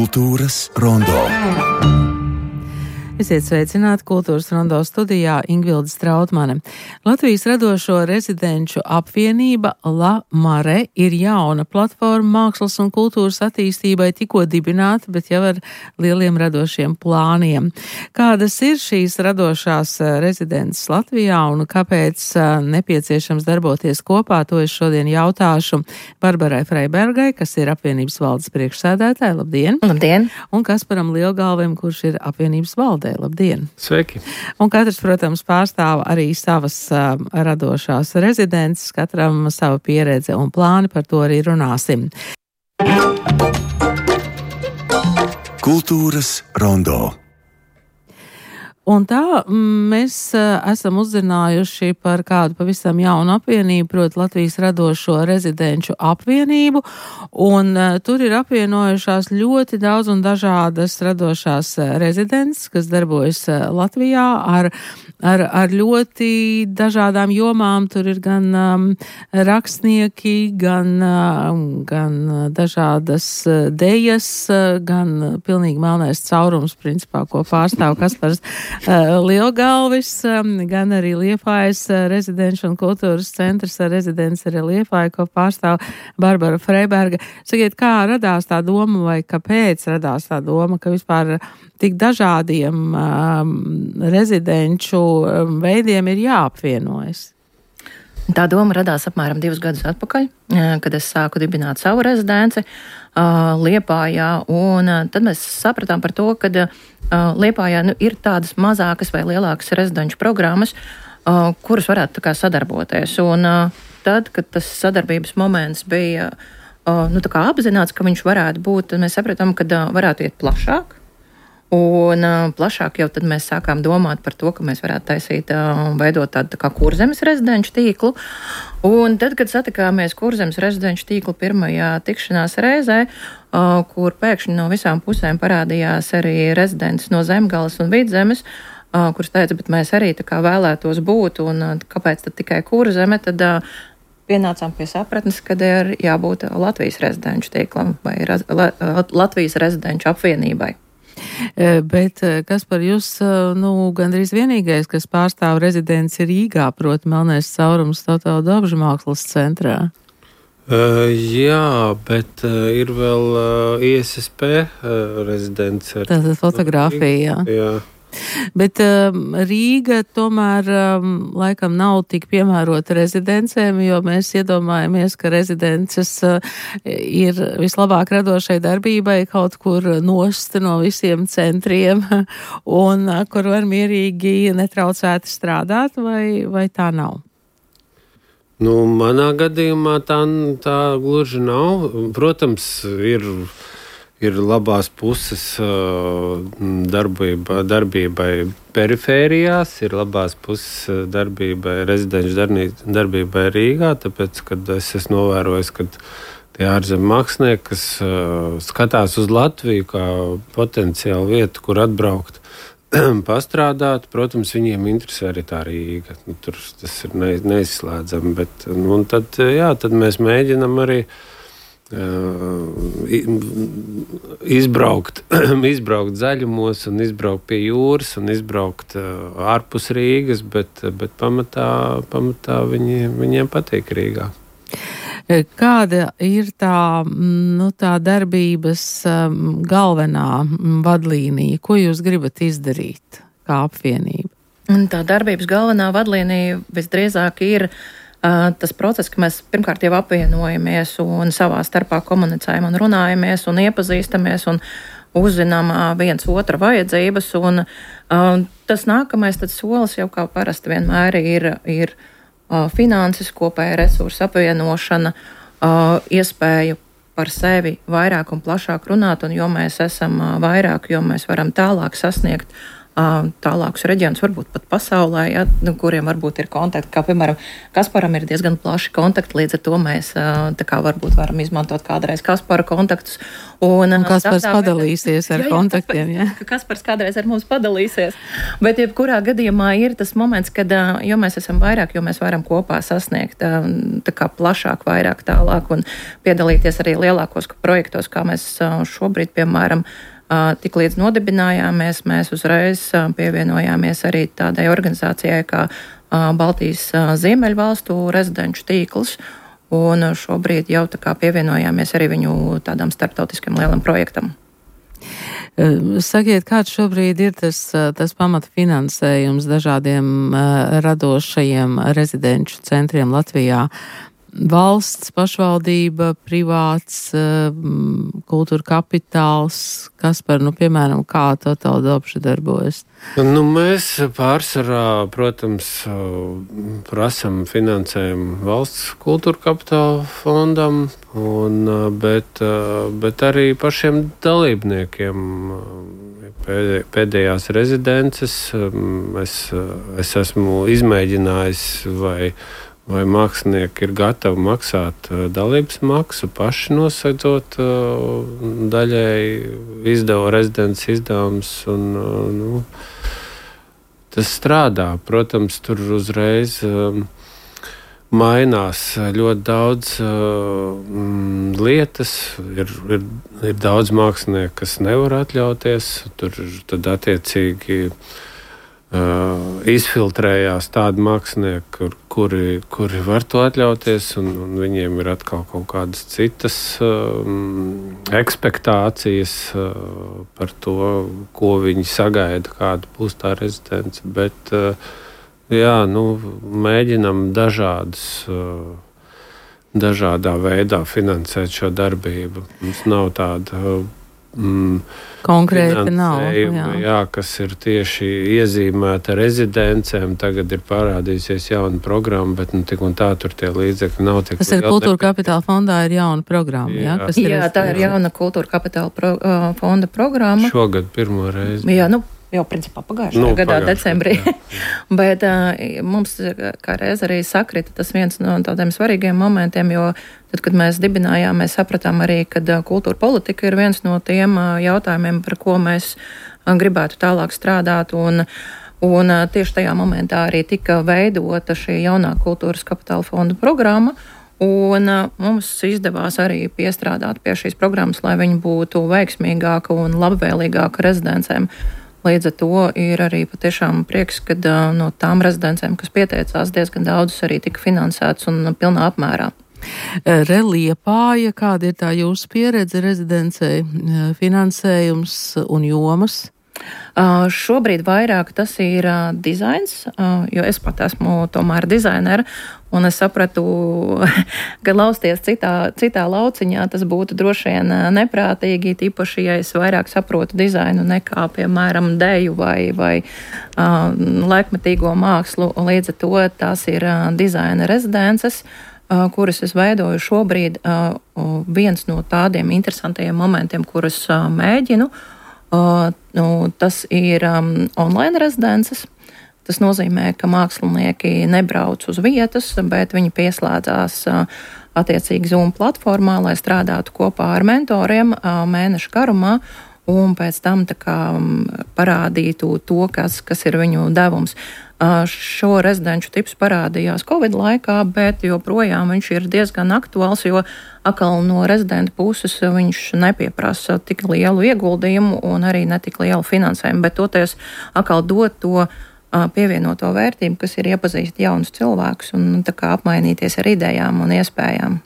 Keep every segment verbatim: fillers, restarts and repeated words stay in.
Kultūras rondo. Esiet sveicināti Kultūras rondo studijā Ingvilde Strautmane. Latvijas radošo rezidenču apvienība La Mare ir jauna platforma mākslas un kultūras attīstībai tikko dibināta, bet jau ar lieliem radošiem plāniem. Kādas ir šīs radošās rezidences Latvijā un kāpēc nepieciešams darboties kopā, to es šodien jautāšu Barbarai Freibergai, kas ir apvienības valdes priekšsēdētāja. Labdien! Labdien! Un Kasparam Lielgalvim, kurš ir apvienības valdē. Labdien! Sveiki! Un katrs, protams, pārstāv arī savas uh, radošās rezidences, katram sava pieredze un plāni, par to arī runāsim. Kultūras rondo. Un tā mēs uh, esam uzzinājuši par kādu pavisam jaunu apvienību, proti Latvijas radošo rezidenču apvienību, un uh, tur ir apvienojušās ļoti daudz un dažādas radošās uh, rezidences, kas darbojas uh, Latvijā ar, ar, ar ļoti dažādām jomām. Tur ir gan um, rakstnieki, gan, uh, gan dažādas uh, dejas, uh, gan pilnīgi melnais caurums, principā, ko pārstāv Kaspars Uh, Lielgalvis, um, gan arī Liepājas uh, rezidenču un kultūras centrs ar rezidenci arī Liepāja, ko pārstāv Barbara Freiberga. Sakiet, kā radās tā doma vai kāpēc radās tā doma, ka vispār tik dažādiem um, rezidenču um, veidiem ir jāapvienojas? Tā doma radās apmēram divus gadus atpakaļ, kad es sāku dibināt savu rezidenci uh, Liepājā, un uh, tad mēs sapratām par to, ka uh, Liepājā nu, ir tādas mazākas vai lielākas rezidenču programmas, uh, kuras varētu tā kā sadarboties. Un uh, tad, kad tas sadarbības moments bija uh, nu, tā kā apzināts, ka viņš varētu būt, tad mēs sapratām, ka uh, varētu iet plašāk. Un uh, plašāk jau tad mēs sākām domāt par to, ka mēs varētu taisīt un uh, veidot tādu tā kā Kurzemes rezidenču tīklu. Un tad, kad satikāmies Kurzemes rezidenču tīklu pirmajā tikšanās reizē, uh, kur pēkšņi no visām pusēm parādījās arī rezidents no Zemgales un Vidzemes, uh, kurš teica, bet mēs arī tā kā vēlētos būt, un uh, kāpēc tad tikai Kurzeme, tad uh, pienācām pie sapratnes, kad ir jābūt Latvijas rezidenču tīklam vai raz, la, Latvijas rezidenču apvienībai. Bet kas par jūs, nu, gandrīz vienīgais, kas pārstāv rezidenci Rīgā, proti melnais caurums Tautālu Dobžu mākslas centrā? Uh, jā, bet uh, ir vēl uh, I S S P uh, rezidents. Tātad fotogrāfija, jā. jā. Bet um, Rīga tomēr um, laikam nav tik piemērota rezidencēm, jo mēs iedomājamies, ka rezidences uh, ir vislabāk radošai darbībai kaut kur nost no visiem centriem un uh, kur var mierīgi netraucēti strādāt, vai, vai tā nav? Nu, manā gadījumā tā, tā gluži nav. Protams, ir... Ir labās puses darbība, darbībai perifērijās, ir labās puses darbībai, rezidenču darbībai Rīgā, tāpēc, kad es esmu novērojis, ka tie ārzemju mākslinieki, kas skatās uz Latviju kā potenciālu vietu, kur atbraukt, pastrādāt, protams, viņiem interesē arī tā Rīga. Nu, tur tas ir ne, neizslēdzami, bet nu, tad, jā, tad mēs mēģinam arī Uh, izbraukt, izbraukt zaļumos un izbraukt pie jūras un izbraukt uh, ārpus Rīgas, bet, bet pamatā, pamatā viņi, viņiem patīk Rīgā. Kāda ir tā, nu, tā darbības um, galvenā vadlīnija? Ko jūs gribat izdarīt kā apvienība? Un tā darbības galvenā vadlīnija visdrīzāk ir tas process, ka mēs pirmkārt jau apvienojamies un savā starpā komunicējam un runājamies un iepazīstamies un uzzinām viens otra vajadzības. Un, uh, tas nākamais tad solis jau kā parasti vienmēr ir, ir uh, finanses, kopēja resursu apvienošana, uh, iespēju par sevi vairāk un plašāk runāt, un jo mēs esam uh, vairāk, jo mēs varam tālāk sasniegt tālākus reģionus, varbūt pat pasaulē, ja, nu, kuriem varbūt ir kontakti, kā piemēram Kasparam ir diezgan plaši kontakti, līdz ar to mēs tā kā varbūt varam izmantot kādreiz Kaspara kontaktus. Un, un Kaspars padalīsies ar jā, jā, kontaktiem, jā. Kaspars kādreiz ar mums padalīsies, bet jebkurā gadījumā ir tas moments, kad, jo mēs esam vairāk, jo mēs varam kopā sasniegt tā kā plašāk, vairāk tālāk un piedalīties arī lielākos projektos, kā mēs šobrīd, piemēram, tik līdz nodibinājāmies, mēs uzreiz pievienojāmies arī tādai organizācijai kā Baltijas Ziemeļvalstu rezidenču tīkls, un šobrīd jau tā kā pievienojāmies arī viņu tādām starptautiskiem lielam projektam. Sakiet, kāds šobrīd ir tas, tas pamata finansējums dažādiem radošajiem rezidenču centriem Latvijā? Valsts, pašvaldība, privāts, kultūra kapitāls, kas par, nu, piemēram, kā Total Dobša darbojas? Nu, mēs pārsvarā, protams, prasam finansējumu valsts kultūra kapitāla fondam, un, bet, bet arī pašiem dalībniekiem. Pēdējās rezidences es, es esmu izmēģinājis, vai Vai mākslinieki ir gatavi maksāt dalības maksu, paši nosedzot daļai izdevu rezidents izdevums. Un, nu, tas strādā. Protams, tur uzreiz mainās ļoti daudz lietas. Ir, ir, ir daudz mākslinieku, kas nevar atļauties. Tur tad attiecīgi Uh, izfiltrējās tādi mākslinieki, kur, kuri, kuri var to atļauties, un, un viņiem ir atkal kaut kādas citas um, ekspektācijas uh, par to, ko viņi sagaida, kāda būs tā rezidence. Bet, uh, jā, nu, mēģinam dažādas, uh, dažādā veidā finansēt šo darbību. Mums nav tāda uh, Mm, konkrēti nav, jā. jā, kas ir tieši iezīmēta rezidencēm. Tagad ir parādījusies jauna programma, bet nu, tik un tā tur tie līdzekļi nav tik. Tas ir kultūra kapitāla fondā ir jauna programma, jā? Jā, kas jā tā ir jauna kultūra kapitāla pro, uh, fonda programma. Šogad pirmo reizi. Jā, nu, jau principā pagājušajā nu, gadā, pagājušajā, decembrī. Bet uh, mums kā reiz arī sakrita tas viens no tādiem svarīgiem momentiem, jo tad, kad mēs dibinājām, mēs sapratām arī, ka uh, kultūra politika ir viens no tiem uh, jautājumiem, par ko mēs uh, gribētu tālāk strādāt. Un, un uh, tieši tajā momentā arī tika veidota šī jaunā kultūras kapitāla fonda programma. Un uh, mums izdevās arī piestrādāt pie šīs programmas, lai viņa būtu veiksmīgāka un labvēlīgāka rezidencēm. Līdz ar to ir arī patiešām prieks, ka uh, no tām rezidencēm, kas pieteicās, diezgan daudzas arī tika finansētas un pilnā apmērā. Liepāja, kāda ir tā jūsu pieredze rezidencei, finansējums un jomas? Uh, šobrīd vairāk tas ir uh, dizains, uh, jo es pat esmu tomēr dizainera, un es sapratu, ka lausties citā, citā lauciņā tas būtu droši vien neprātīgi, tīpaši, ja es vairāk saprotu dizainu nekā, piemēram, deju vai, vai uh, laikmetīgo mākslu. Līdz ar to tās ir uh, dizaina rezidences, uh, kuras es veidoju šobrīd. Uh, viens no tādiem interesantajiem momentiem, kurus uh, mēģinu, Uh, nu, tas ir um, online rezidences. Tas nozīmē, ka mākslinieki nebrauc uz vietas, bet viņi pieslēdzās uh, attiecīgi Zoom platformā, lai strādātu kopā ar mentoriem uh, mēneša garumā un pēc tam tā kā um, parādītu to, kas, kas ir viņu devums. Uh, šo rezidenču tips parādījās Covid laikā, bet joprojām viņš ir diezgan aktuāls, jo atkal no rezidenta puses viņš nepieprasa tik lielu ieguldījumu un arī ne tik lielu finansējumu, bet toties atkal dot to uh, pievienoto vērtību, kas ir iepazīst jaunus cilvēkus un tā kā apmainīties ar idejām un iespējām.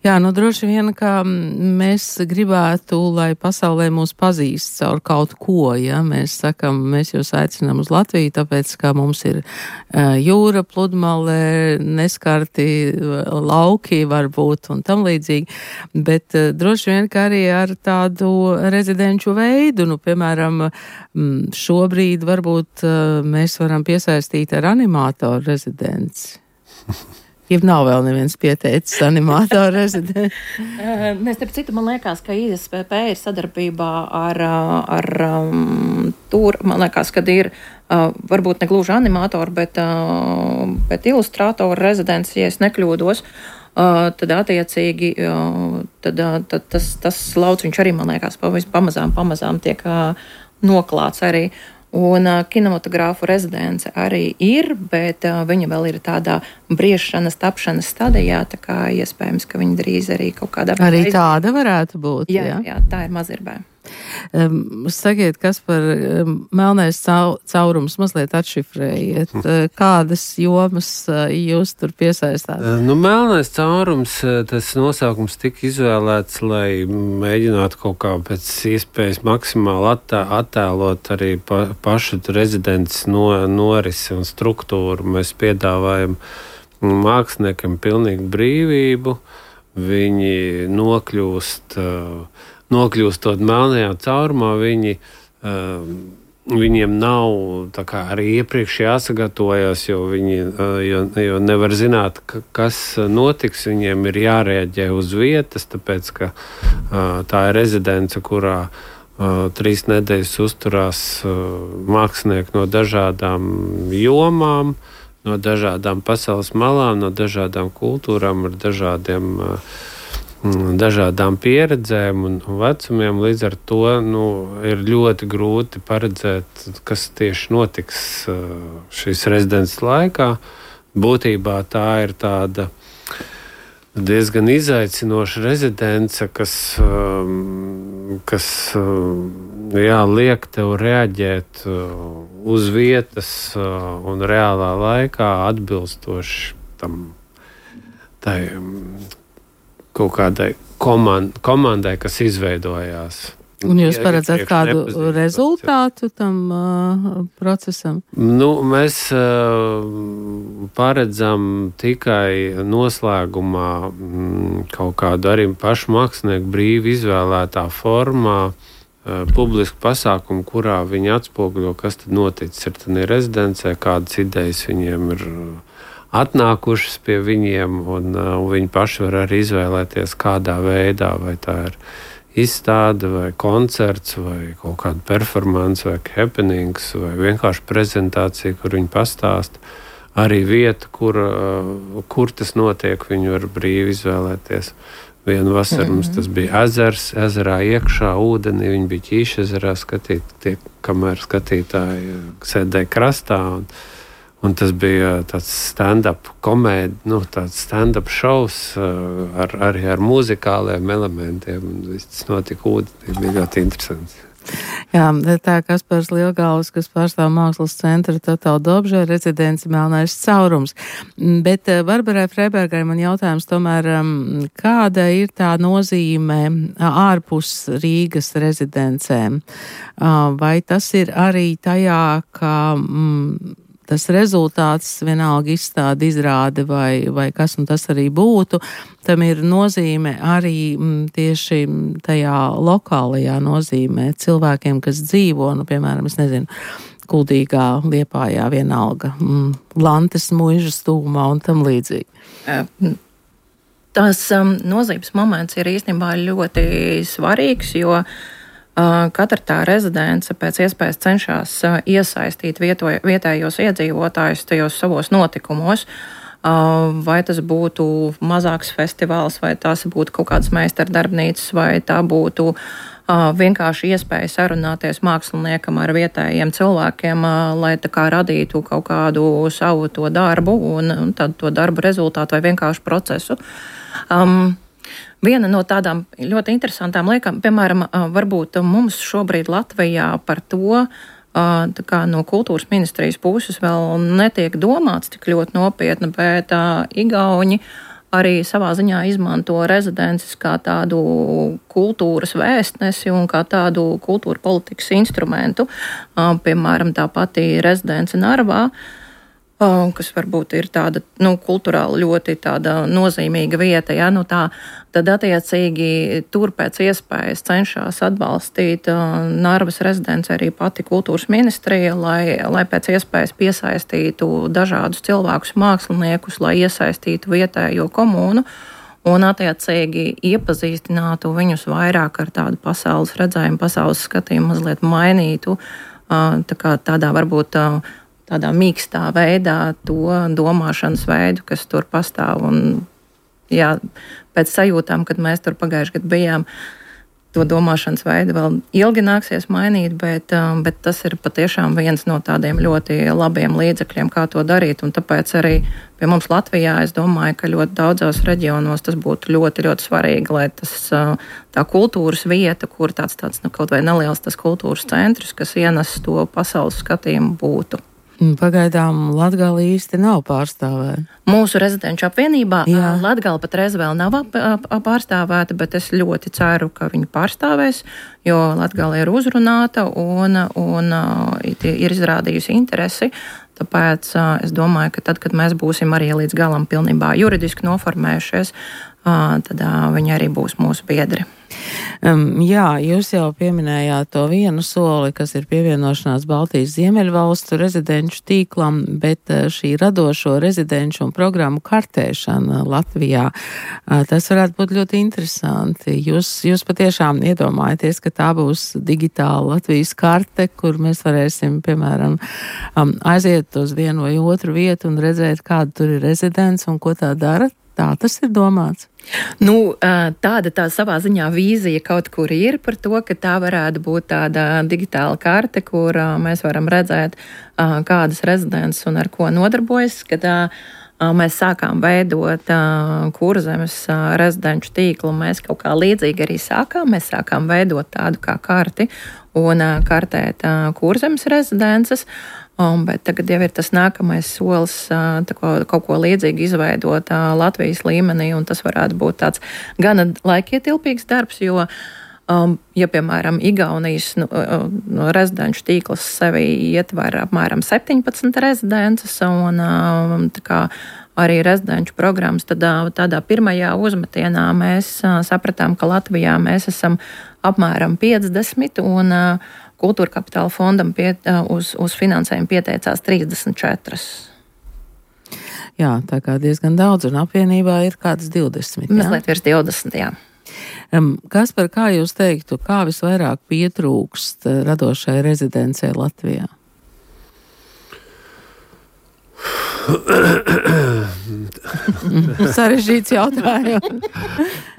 Jā, nu droši vien, ka mēs gribētu, lai pasaulē mūs pazīst caur kaut ko, ja mēs sakam, mēs jūs aicinām uz Latviju, tāpēc, ka mums ir uh, jūra, pludmale, neskarti lauki varbūt un tam līdzīgi, bet uh, droši vien, ka arī ar tādu rezidenču veidu, nu, piemēram, šobrīd varbūt uh, mēs varam piesaistīt ar animātoru rezidenci. Ja nav vēl neviens pieteicis animātoru rezidents. Nē, starp citu, man liekas, ka I S P P ir sadarbībā ar, ar um, tur, man liekas, kad ir uh, varbūt ne gluži animātori, bet, uh, bet ilustrātoru rezidents, ja es nekļūdos, uh, tad attiecīgi uh, tad, uh, tad tas, tas lauciņš arī, man liekas, pamazām, pamazām tiek uh, noklāts arī. Un uh, kinematogrāfu rezidence arī ir, bet uh, viņa vēl ir tādā briešanas, tapšanas stadijā, tā kā iespējams, ka viņa drīz arī kaut kādā... Arī tāda varētu būt, jā? Jā, jā, tā ir Mazirbē. Um, sakiet, kas par um, melnais cau, caurums mazliet atšifrējiet. Uh, kādas jomas uh, jūs tur piesaistāt? Nu, melnais caurums, tas nosaukums tika izvēlēts, lai mēģinātu kaut kā pēc iespējas maksimāli attē, attēlot arī pa, pašu rezidents no, norisi un struktūru. Mēs piedāvājam māksliniekam pilnīgu brīvību. Viņi nokļūst... Uh, Nokļūstot melnajā caurumā, viņi, uh, viņiem nav tā kā arī iepriekš jāsagatavojas, jo viņi uh, jo, jo nevar zināt, ka, kas notiks. Viņiem ir jārēģē uz vietas, tāpēc ka uh, tā ir rezidence, kurā uh, trīs nedēļas uzturās uh, mākslinieki no dažādām jomām, no dažādām pasaules malām, no dažādām kultūrām, ar dažādiem uh, dažādām pieredzēm un vecumiem. Līdz ar to nu, ir ļoti grūti paredzēt, kas tieši notiks šīs rezidences laikā. Būtībā tā ir tāda diezgan izaicinoša rezidence, kas, kas jā, liek tev reaģēt uz vietas un reālā laikā atbilstoši tam tai kaut kādai komand, komandai, kas izveidojās. Un jūs paredzat kādu rezultātu tam uh, procesam? Nu, mēs uh, paredzam tikai noslēgumā mm, kaut kādu arī pašu mākslinieku brīvi izvēlētā formā uh, publisku pasākumu, kurā viņi atspoguļo, kas tad noticis ar tādī rezidencē, kādas idejas viņiem ir atnākušas pie viņiem, un, uh, un viņi paši var arī izvēlēties, kādā veidā, vai tā ir izstāde, vai koncerts, vai kaut kāda performance, vai happenings, vai vienkārši prezentācija, kur viņi pastāsta. Arī vieta, kur, uh, kur tas notiek, viņi var brīvi izvēlēties. Vienu vasaru mm-hmm. mums tas bija ezers, ezerā iekšā, ūdenī, viņi bija Ķīša ezerā skatīt, tie, kamēr skatītāji sēdēja krastā, un Un tas bija tāds stand-up komēdi, nu, tāds stand-up šovs ar, arī ar muzikāliem elementiem. Viss tas notika ūdenī, bija ļoti interesants. Jā, tā Kaspars Lielgalvs, kas pārstāv mākslas centra Total Dobžē rezidenci Melnais caurums. Bet Barbarai Freibergai man jautājums tomēr, kāda ir tā nozīme ārpus Rīgas rezidencēm? Vai tas ir arī tajā, ka mm, tas rezultāts, vienalga izstāde, izrāde vai, vai kas un tas arī būtu, tam ir nozīme arī m, tieši tajā lokālajā nozīmē cilvēkiem, kas dzīvo, nu, piemēram, es nezinu, Kuldīgā, Liepājā, vienalga, m, Lantes muižas tūmā un tam līdzīgi. Tas um, nozīmes moments ir īstenībā ļoti svarīgs, jo katra tā rezidence pēc iespējas cenšas iesaistīt vieto, vietējos iedzīvotājus tajos savos notikumos. Vai tas būtu mazāks festivāls, vai tas būtu kaut kādas meistardarbnīcas, vai tā būtu vienkārši iespēja sarunāties māksliniekam ar vietējiem cilvēkiem, lai tā kā radītu kaut kādu savu to darbu un, un tad to darbu rezultātu vai vienkārši procesu. Um, Viena no tādām ļoti interesantām lietām, piemēram, varbūt mums šobrīd Latvijā par to, tā kā no kultūras ministrijas puses vēl netiek domāts tik ļoti nopietni, bet Igauņi arī savā ziņā izmanto rezidences kā tādu kultūras vēstnesi un kā tādu kultūra politikas instrumentu. Piemēram, tā pati rezidence Narvā. kas varbūt ir tāda, nu, kulturāli ļoti tāda nozīmīga vieta, ja, nu tā, tad attiecīgi tur pēc iespējas cenšas atbalstīt uh, Narvas rezidents arī pati kultūras ministrija, lai, lai pēc iespējas piesaistītu dažādus cilvēkus, māksliniekus, lai iesaistītu vietējo komūnu un attiecīgi iepazīstinātu viņus vairāk ar tādu pasaules redzējumu, pasaules skatījumu, mazliet mainītu, uh, tā kā tādā varbūt uh, tādā mīkstā veidā to domāšanas veidu, kas tur pastāv. Un, jā, pēc sajūtām, kad mēs tur pagājuši gadu bijām, to domāšanas veidu vēl ilgi nāksies mainīt, bet, bet tas ir patiešām viens no tādiem ļoti labiem līdzekļiem, kā to darīt. Un tāpēc arī pie mums Latvijā es domāju, ka ļoti daudzos reģionos tas būtu ļoti, ļoti svarīgi, lai tas, tā kultūras vieta, kur tāds, tāds nu, kaut vai neliels tas kultūras centrs, kas ienes to pasaules skatījumu, būtu. Pagaidām Latgale īsti nav pārstāvēta. Mūsu rezidenču apvienībā Jā. Latgale patreiz vēl nav ap, ap, pārstāvēta, bet es ļoti ceru, ka viņi pārstāvēs, jo Latgale ir uzrunāta un, un ir izrādījusi interesi. Tāpēc es domāju, ka tad, kad mēs būsim arī līdz galam pilnībā juridiski noformējušies, tad viņi arī būs mūsu biedri. Um, jā, jūs jau pieminējāt to vienu soli, kas ir pievienošanās Baltijas Ziemeļvalstu rezidenču tīklam, bet šī radošo rezidenču un programmu kartēšana Latvijā, tas varētu būt ļoti interesanti. Jūs, jūs patiešām iedomājaties, ka tā būs digitāla Latvijas karte, kur mēs varēsim, piemēram, aiziet uz vienu vai otru vietu un redzēt, kāda tur ir rezidents un ko tā dara? Tā tas ir domāts. Nu, tāda tā savā ziņā vīzija kaut kur ir par to, ka tā varētu būt tāda digitāla karte, kur mēs varam redzēt, kādas rezidents un ar ko nodarbojas, kad mēs sākām veidot Kurzemes rezidenču tīklu. Mēs kaut kā līdzīgi arī sākām. Mēs sākām veidot tādu kā karti un kartēt Kurzemes rezidences. Um, bet tagad jau ir tas nākamais solis ko, kaut ko līdzīgu izveidot uh, Latvijas līmenī, un tas varētu būt tāds gana laikietilpīgs darbs, jo, um, ja, piemēram, Igaunijas nu, uh, rezidenču tīkls sevi ietver apmēram septiņpadsmit rezidences, un um, tā kā arī rezidenču programmas, tad uh, tādā pirmajā uzmetienā mēs uh, sapratām, ka Latvijā mēs esam apmēram piecdesmit, un uh, Kultūra kapitāla fondam pie, uz, uz finansējumu pieteicās trīsdesmit četri. Jā, tā kā diezgan daudz, un apvienībā ir kāds divdesmit. Mazliet virs divdesmit, jā. Um, Kaspar, kā jūs teiktu, kā visvairāk pietrūkst radošai rezidencei Latvijā? Sarežģīts jautājums.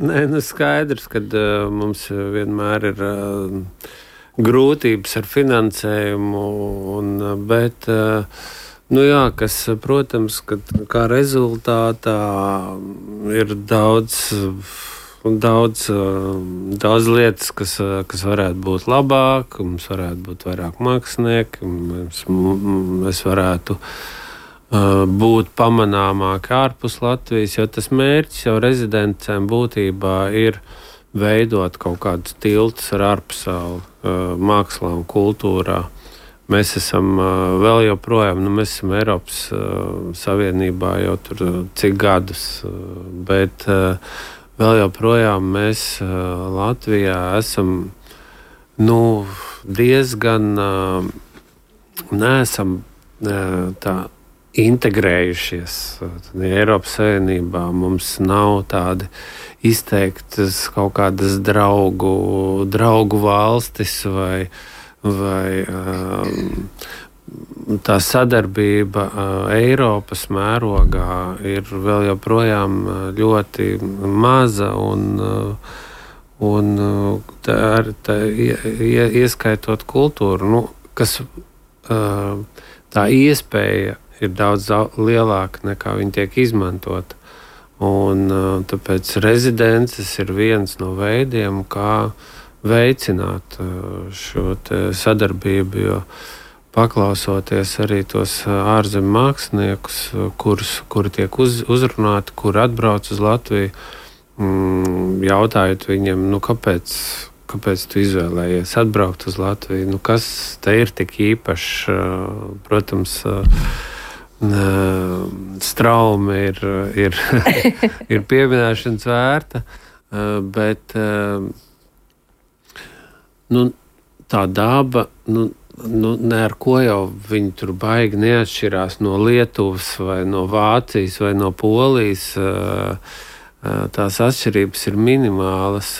Nē, nu skaidrs, ka uh, mums vienmēr ir uh, grūtības ar finansējumu, un, bet, nu jā, kas, protams, ka kā rezultātā ir daudz, daudz, daudz lietas, kas, kas varētu būt labāk, mums varētu būt vairāk mākslinieki, mēs, mēs varētu būt pamanāmāki ārpus Latvijas, jo tas mērķis jau rezidencēm būtībā ir veidot kaut kādus tiltus ar ārpasauli, mākslā un kultūrā. Mēs esam vēl joprojām, nu mēs esam Eiropas Savienībā jau tur cik gadus, bet vēl joprojām mēs Latvijā esam, nu, diezgan neesam tā integrējušies. Eiropas Savienībā mums nav tādi izteiktas kaut kādas draugu, draugu valstis vai, vai um, tā sadarbība uh, Eiropas mērogā ir vēl joprojām ļoti maza un, uh, un uh, tā, tā, ie, ieskaitot kultūru, nu, kas uh, tā iespēja ir daudz lielāka nekā viņi tiek izmantot. Un, tāpēc rezidences ir viens no veidiem, kā veicināt šo sadarbību, jo paklausoties arī tos ārzemju māksliniekus, kurus, kuri tiek uz, uzrunāti, kuri atbrauc uz Latviju, jautājot viņiem, nu, kāpēc, kāpēc tu izvēlējies atbraukt uz Latviju, nu, kas te ir tik īpašs, protams, strauma ir, ir, ir pieminēšanas vērta, bet nu, tā daba, nu, nu, ne ar ko jau viņi tur baigi neatšķirās no Lietuvas vai no Vācijas vai no Polijas. Tās atšķirības ir minimālas,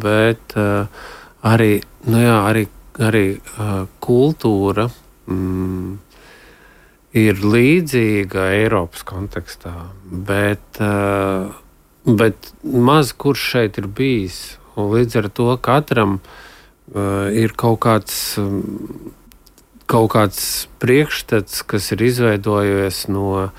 bet arī, nu jā, arī, arī kultūra mm, ir līdzīga Eiropas kontekstā, bet, bet maz kurš šeit ir bijis. Un līdz ar to katram ir kaut kāds, kaut kāds priekšstats, kas ir izveidojies no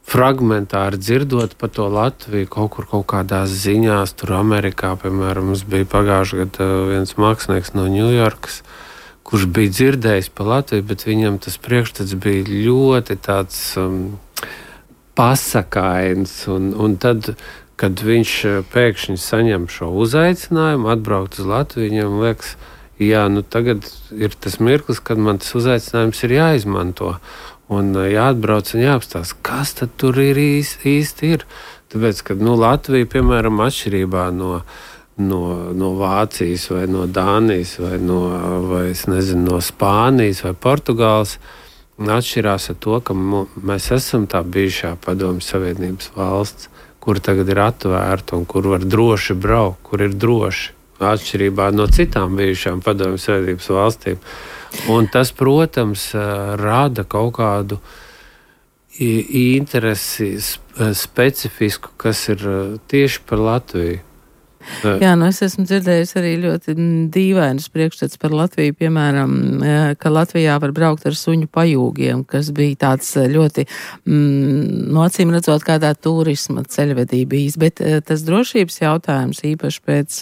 fragmentāri dzirdot par to Latviju kaut kur kaut kādās ziņās. Tur Amerikā, piemēram, mums bija pagājušajā gadā viens mākslinieks no Ņujorkas, kurš bija dzirdējis par Latviju, bet viņam tas priekšstats bija ļoti tāds um, pasakains. Un, un tad, kad viņš pēkšņi saņem šo uzaicinājumu atbraukt uz Latviju, viņam liekas, jā, nu tagad ir tas mirklis, kad man tas uzaicinājums ir jāizmanto. Un jāatbrauc un jāapstāsta, kas tad tur ir īsti, īsti ir. Tāpēc, ka nu, Latvija, piemēram, atšķirībā no No, no Vācijas vai no Dānijas vai, no, vai nezinu, no Spānijas vai Portugāles atšķirās ar to, ka mēs esam tā bijušā Padomju Savienības valsts, kur tagad ir atvērta un kur var droši braukt, kur ir droši, atšķirībā no citām bijušām Padomju Savienības valstīm. Un tas, protams, rada kaut kādu interesi specifisku, kas ir tieši par Latviju. Jā, nu es esmu dzirdējis arī ļoti dīvainus priekšstats par Latviju, piemēram, ka Latvijā var braukt ar suņu pajūgiem, kas bija tāds ļoti, mm, no acīm redzot, kādā turisma ceļvedībīs, bet tas drošības jautājums īpaši pēc,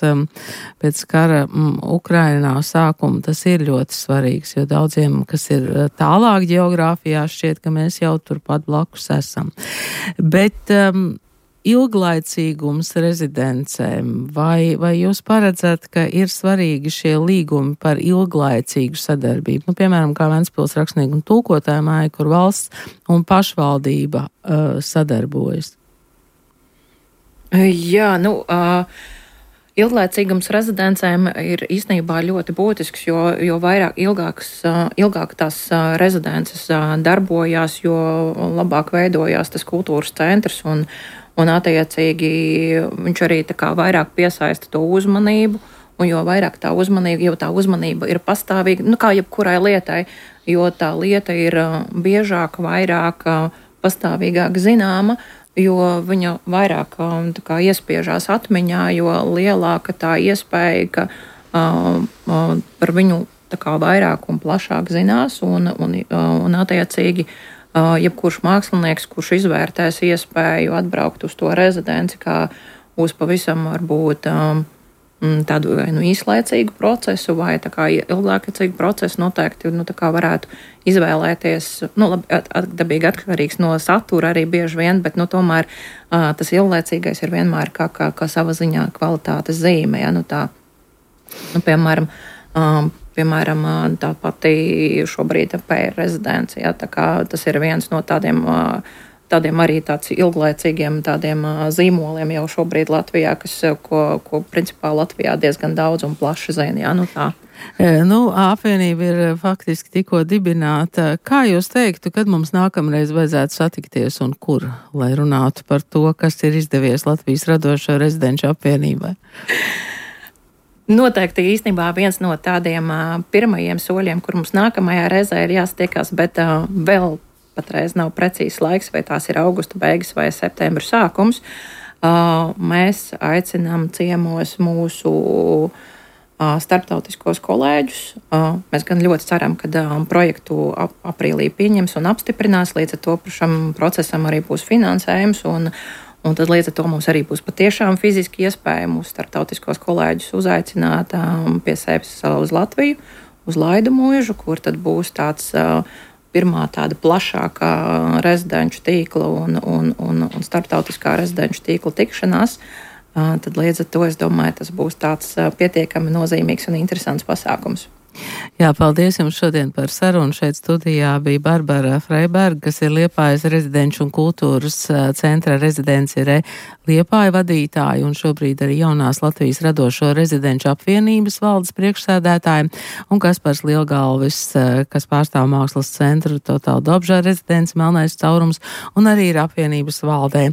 pēc kara mm, Ukrainā sākuma, tas ir ļoti svarīgs, jo daudziem, kas ir tālāk geogrāfijā, šķiet, ka mēs jau turpat blakus esam. Bet um, ilglaicīgums rezidencēm, vai, vai jūs paredzat, ka ir svarīgi šie līgumi par ilglaicīgu sadarbību? Nu, piemēram, kā Ventspils rakstnieku un tulkotāju māja, kur valsts un pašvaldība uh, sadarbojas. Jā, nu, uh, ilglaicīgums rezidencēm ir īstenībā ļoti būtisks, jo, jo vairāk ilgāks, uh, ilgāk tās uh, rezidences uh, darbojās, jo labāk veidojās tas kultūras centrs un Un attiecīgi viņš arī tā kā vairāk piesaista to uzmanību, un jo vairāk tā uzmanība, jo tā uzmanība ir pastāvīga, nu kā jebkurai lietai, jo tā lieta ir biežāk, vairāk, pastāvīgāk zināma, jo viņa vairāk tā kā iespiežās atmiņā, jo lielāka tā iespēja, ka uh, par viņu tā kā vairāk un plašāk zinās, un, un, un attiecīgi Uh, jebkurš mākslinieks, kurš izvērtēs iespēju atbraukt uz to rezidenci kā uz pavisam varbūt um, tādu vai nu īslaicīgu procesu vai tā kā ilglaicīgu procesu, noteikti nu, tā kā varētu izvēlēties, nu labi, at, at, dabīgi atkarīgs no satura arī bieži vien, bet nu tomēr uh, tas ilglaicīgais ir vienmēr kā, kā, kā sava ziņā kvalitātes zīme, ja, nu tā, nu piemēram, um, Piemēram, tā pati šobrīd P R rezidencija, tā kā tas ir viens no tādiem, tādiem arī tāds ilglaicīgiem tādiem zīmoliem jau šobrīd Latvijā, kas, ko, ko principā Latvijā diezgan daudz un plaši zina, jā, nu tā. Nu, apvienība ir faktiski tikko dibināta. Kā jūs teiktu, kad mums nākamreiz vajadzētu satikties un kur, lai runātu par to, kas ir izdevies Latvijas radošo rezidenču apvienībai? Noteikti īstenībā viens no tādiem uh, pirmajiem soļiem, kur mums nākamajā reizē ir jāstiekās, bet uh, vēl patreiz nav precīzs laiks, vai tās ir augusta beigas vai septembra sākums. Uh, mēs aicinām ciemos mūsu uh, starptautiskos kolēģus. Uh, mēs gan ļoti ceram, ka uh, projektu ap, aprīlī pieņems un apstiprinās, līdz ar to šam procesam arī būs finansējums un Un tad līdz ar to mums arī būs patiešām fiziski iespēja mūsu starptautiskos kolēģus uzaicināt um, pie sevis uz Latviju, uz Laidu mūžu, kur tad būs tāds uh, pirmā tāda plašākā rezidenču tīkla un, un, un, un starptautiskā rezidenču tīkla tikšanās. Uh, tad līdz ar to es domāju, tas būs tāds uh, pietiekami nozīmīgs un interesants pasākums. Jā, paldies jums šodien par sarunu. Šeit studijā bija Barbara Freiberga, kas ir Liepājas rezidenču un kultūras centra rezidencē Liepāja vadītāja un šobrīd arī jaunās Latvijas radošo rezidenču apvienības valdes priekšsēdētāja, un Kaspars Lielgalvis, kas pārstāv mākslas centru Totāla Dobžā rezidents Melnais caurums un arī ir apvienības valdē.